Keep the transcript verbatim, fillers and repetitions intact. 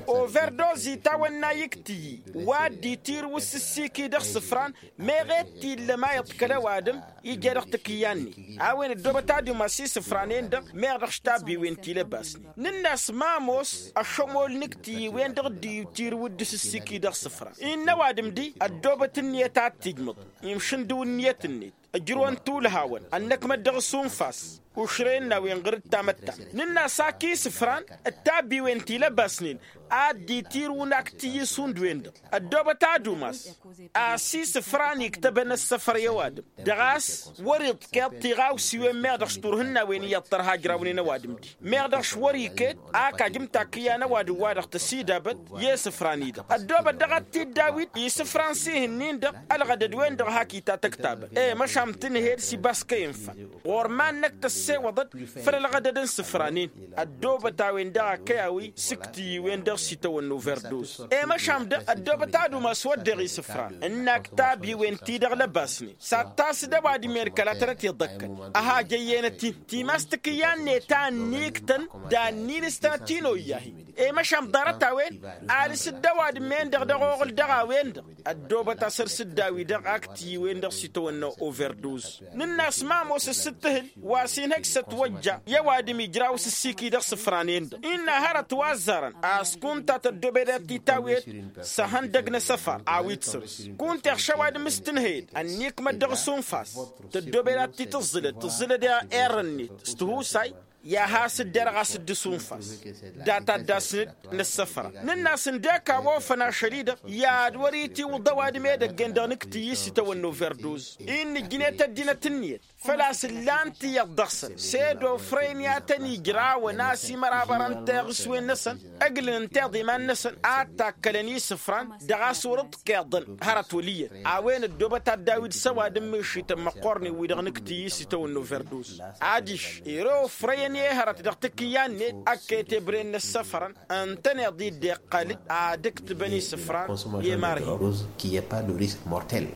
Overdozit a-wăn n-a iktǝyyi wa dd-itirǝw s-ǝssiki dăɣ-isǝfran. Meɣ e-d t-illăm a iḍkăl ăwadǝm ija dăɣ-takǝyya-net a-wen ăddoobăt ad-umas isǝfran-en-dăɣ meɣ dăɣ-s tabbiwen ti lăbasnen. Nǝnn'-as ma ămoos ăššămol n-iktǝyyi-wen-dăɣ dd-itirǝw dd-sǝssiki dăɣ-isǝfran-i n-ăwadǝm di ăddoobăt ǝnniyăt ad-t-ijmǝḍ imšǝndǝw ǝnniyăt-net. Ǝjrǝwăn tulhawăn ănnăkmăt dăɣ-s unfas ušren n-a-wen ɣǝr-dd tamăttant. Nǝnn'-as ak isǝfran d-tabbiwen ti lăbasnen ad-dd-itirǝwăn ak tǝyyǝs hundǝwen-dăɣ. Ăddoobăt ad-umas a-s isǝfran iktăbăn ăssăfăr i-ăwadǝm dăɣ-a-s wăr-iḍkeḍ tiɣawsiwen meɣ dăɣ-s turhǝnnawen iyyăḍ tărha ǝjrawnen ăwadǝm-di meɣ dăɣ-s wăr-iket ak ajǝm takǝyya n-ăwadǝm wa dăɣ-tăsidabăt i-isǝfran-i-dăɣ. Ăddoobăt daɣ ad-t-dd-awit isǝfran s-ihǝnnin-dăɣ ălɣădăd-wen-dăɣ hak itatăktabăn i-măšan tǝnhed s-ibaskăyăn fan ɣur-iman-năk tăssewăḍăd făll-ălɣădăd n-isǝfranen. Ăddoobăt a-wen-dăɣ a kăy-awi s-iktǝyyiwen-dăɣ s-itawănna overduz. I-măšan dăɣ-ăddoobăt ad-umas wădden isǝfran n-aktab iwen-ti-dăɣ lăbasnen s-ad-tasǝd ăwadǝm-en kăla tănăt-iḍăkkăn ăhajăyyenăt-in timas takǝyya-net a ǝnniktăn. D-annin s-tănăt-inoyyahi i-măšan ḍarăt-a-wen alǝs-dd ăwadǝm-en-dăɣ dăɣ-oɣǝl dăɣ-a-wen-dăɣ. Ăddoobăt a săr-s dd-awi-dăɣ ak tǝyyiwen-dăɣ s-itawănna overduz. Nǝnn'-as ma ămoos ǝssǝttǝhǝl wa s-inhăj s-ătwăjja i-ăwadǝm ijraw s-ǝssiki dăɣ-isǝfranen-dăɣ innă hărăt wa ăzzarăn a-s kunta tăddoobed ad-t-tawed s-ehăndăg n-asăfar a-wi t-săr-s kunta iɣš ăwadǝm s-tǝnhăyăd ănnikmăt dăɣ-s unfas. Tăddoobed ad-t-tǝẓẓǝlăd tǝẓẓǝlăd i-err-net s-tihusay i-ad-has-dd-erɣ a-s dd-sunfas. Dat-addasnăd n-ăssăfra nǝnn'-as ǝndek a-wa ofăn ašăl-i-dăɣ i-ad-wăr-itiwǝḍ ăwadǝm edăgg-en-dăɣ nǝktǝyy s-itawănna overduz. Innă ǝjnet ăddinăt ǝnniyăt făl-a-s ǝllan-t iyyăḍ dăɣ-săn s-ed ofrăyăn i-ad-tăn-ijrawăn a-s imărabar n-teɣǝswen-năsăn ǝglǝn ǝnta iḍiman-năsăn ad-takkălăn isǝfran. Dăɣ-a-s wăr-ǝḍkeḍăn hărăt wăl' iyyăt a-wen ăddoobăt ad-dd-awǝy d-săwadǝm mišităn măqqoornen-wi-dăɣ nǝktǝyy s-itawănna overduz. Adiš ere ofrăyăn i-hărăt dăɣ-takǝyya-net ăkk etebren n-ăssăfărăn ǝntăneḍ-i dd-iqqal-dd ad-ǝktǝbăn isǝfran i-imarhi.